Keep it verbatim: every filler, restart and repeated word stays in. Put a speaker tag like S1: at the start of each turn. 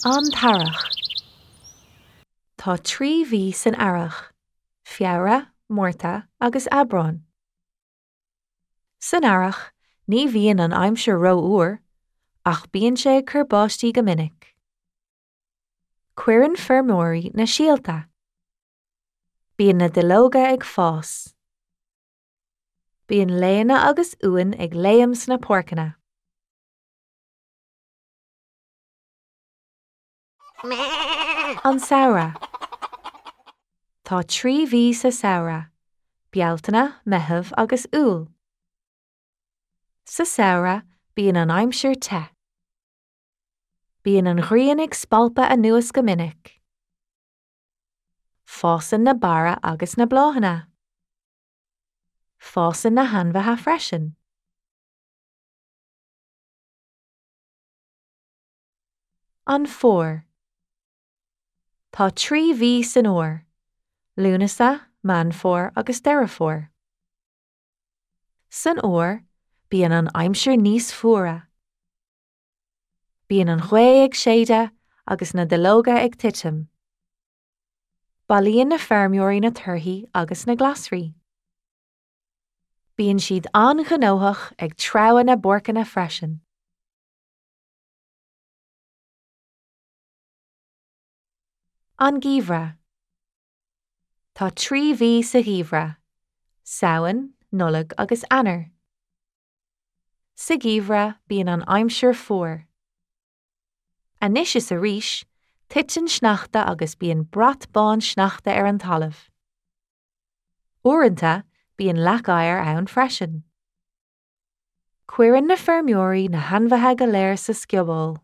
S1: An tEarrach. Tá trí mhí san earrach, Feabhra, Márta agus Aibreán. San earrach, ní bhíonn an aimsir rófhuar, ach bíonn sé ag cur báistí go minic. Cuireann feirmeoirí na síolta. Bíonn na duilleoga ag fás. Bíonn laonna agus uain ag léim sna páirceanna. An Samhradh. Tá trí mhí sa samhradh, Bealtaine, Meitheamh agus Iúil. Sa samhradh, bíonn an aimsir te. Bíonn an ghrian ag spalpadh anuas go minic. Fásann na barra agus na bláthanna. Fásann na hainmhithe freisin. An Fómhar. Tá trí mhí san fhómhar, Lúnasa, Meán Fómhair agus Deireadh Fómhair. San fhómhar, bíonn an aimsir níos fuaire. Bíonn an ghaoth ag séideadh agus na duilleoga ag titim. Bailíonn na feirmeoirí na torthaí agus na glasraí. Bíonn siad an-ghnóthach ag treabhadh na bpáirceanna freisin. An Geimhreadh. Tá trí mhí sa gheimhreadh, Samhain, Nollaig agus Eanáir. Sa gheimhreadh, bíonn an aimsir fuar. Anois is arís, titeann sneachta agus bíonn brat bán sneachta ar an talamh. Uaireanta, bíonn leac oighir ann freisin. Cuireann na feirmeoirí na hainmhithe go léir sa scioból.